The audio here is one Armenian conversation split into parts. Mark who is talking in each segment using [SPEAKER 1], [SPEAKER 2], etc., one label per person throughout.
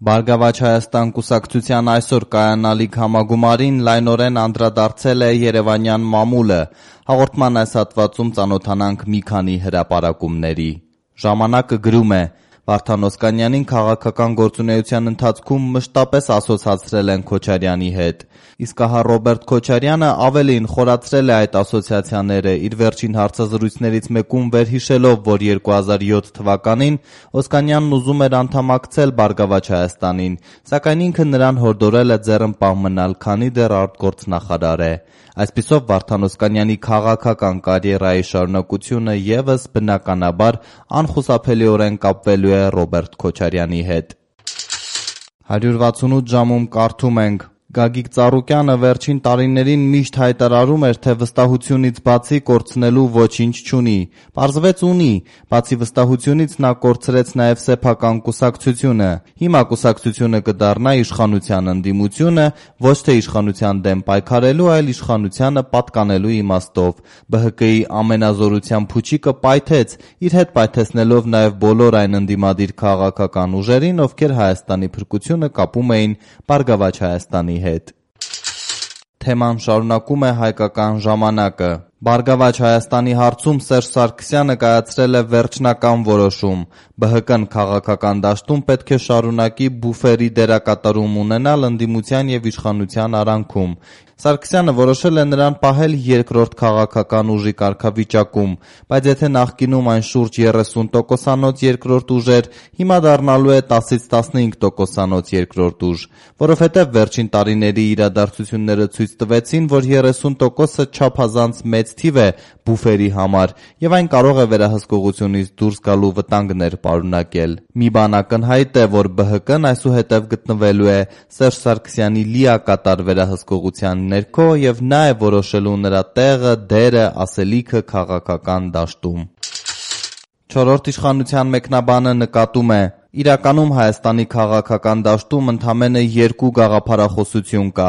[SPEAKER 1] Բարգավաճ Հայաստան կուսակցության այսօր կայանալիք համագումարին լայնորեն անդրադարձել է երևանյան մամուլը։ Հաղորդման այս հատվածում ծանոթանանք մի քանի հրապարակումների։ Ժամանակը գրում է. Վարդան Օսկանյանին քաղաքական գործունեության ընթացքում մշտապես ասոցացրել են Քոչարյանի հետ։ Իսկ ահա Ռոբերտ Քոչարյանը ավելին խորացրել է այդ ասոցիացիաները, իր վերջին հարցազրույցներից մեկում վերհիշելով, որ 2007 թվականին Օսկանյանն ուզում էր անդամակցել Բարգավաճ Հայաստանին, սակայն ինքը նրան հորդորել է ձեռնպահ մնալ, քանի դեռ արտգործնախարար է։ Այսպիսով Վարդան Օսկանյանի քաղաքական կարիերայի շարունակությունը ևս բնականաբար անխուսափելիորեն կապվելու է Ռոբերտ Քոչարյանի հետ։ 168 ժամում կարդում ենք. Գագիկ Ծառուկյանը վերջին տարիներին միշտ հայտարարում էր, թե վստահությունից բացի կորցնելու ոչինչ չունի։ Պարզվեց ունի, բացի վստահությունից նա կորցրեց նաև սեփական կուսակցությունը։ Հիմա կուսակցությունը կդառնա իշխանության ընդդիմությունը, ոչ թե իշխանության դեմ պայքարելու, այլ իշխանությանը պատկանելու իմաստով։ ԲՀԿ-ի ամենազորության փուչիկը պայթեց, իր հետ պայթեցնելով նաև բոլոր այն ընդդիմադիր քաղաքական ուժերին, ովքեր Հայաստանի փրկությունը կապում էին Բարգավաճ Հայաստանի հետ։ Թեման շարունակում է Հայկական ժամանակը։ Բարգավաճ Հայաստանի հարցում Սերժ Սարգսյանը կայացրել է վերջնական որոշում։ ԲՀԿ-ն քաղաքական դաշտում պետք է շարունակի բուֆերի դերակատարում ունենալ ընդդիմության և իշխանության արանքում։ Սարգսյանը որոշել է նրան պահել երկրորդ քաղաքական ուժի կարգավիճակում, բայց եթե նախկինում այն շուրջ 30%-անոց երկրորդ ուժ էր, հիմա դառնալու է 10-ից 15%-անոց երկրորդ ուժ, որովհետև վերջին տարիների իրադարձությունները ցույց տվեցին, որ 30%-ը չափազանց մեծ թիվ է բուֆերի համար, և այն կարող է վերահսկողությունից դուրս գալու վտանգներ պարունակել։ Մի բան ակնհայտ է, որ ԲՀԿ-ն այսուհետև գտնվելու է Սերժ Սարգսյանի լիակատար վերահսկողության ներքո և նա է որոշելու նրա տեղը, դերը, ասելիքը քաղաքական դաշտում։ Չորրորդ իշխանության մեկնաբանը նկատում է. Իրականում Հայաստանի քաղաքական դաշտում ընդամենը երկու գաղափարախոսություն կա։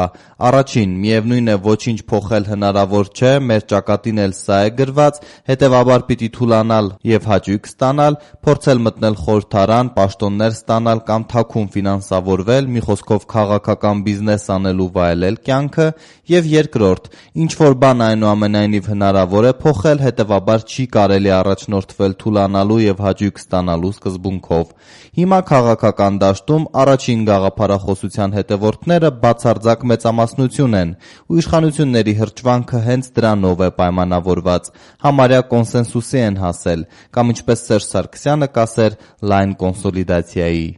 [SPEAKER 1] Առաջին, միևնույն է ոչինչ փոխել հնարավոր չէ, մեր ճակատին էլ սա է գրված, հետևաբար պիտի թուլանալ և հաճույք ստանալ, փորձել մտնել խորհրդարան, պաշտոններ ստանալ կամ թաքուն ֆինանսավորվել, մի խոսքով քաղաքական բիզնես անել ու վայելել կյանքը, և երկրորդ, ինչ-որ բան այնուամենայնիվ հնարավոր է փոխել, հետևաբար չի կարելի առաջնորդվել թուլանալու և հաճույք ստանալու սկզբունքով։ Հիմա քաղաքական դաշտում առաջին գաղափարախոսության հետևորդները բացարձակ մեծամասնություն են, ու իշխանությունների հրճվանքը հենց դրանով է պայմանավորված, համարյա կոնսենսուսի են հասել, կամ ինչպես Սերժ Սարգսյանը կասեր, լայն կոնսոլիդացիայի։